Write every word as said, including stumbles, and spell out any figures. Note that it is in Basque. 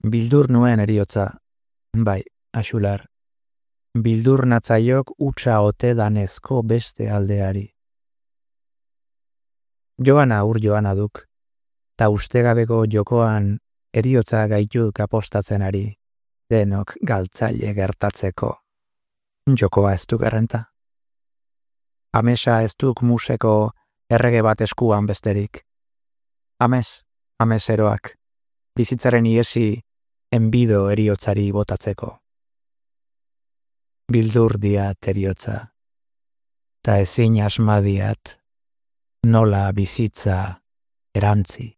Bildur nuen eriotza, bai, axular. Bildur natzaiok utxa ote danezko beste aldeari. Joana ur joana duk, ta ustegabeko jokoan eriotza gaituk apostatzen ari, denok galtzaile gertatzeko. Jokoa ez duk errenta. Amesa ez duk museko errege bat eskuan besterik. Ames, ames eroak, bizitzaren iesi enbido eriotzari botatzeko. Bildur diat eriotza, ta ezin asmadiat nola bizitza erantzi.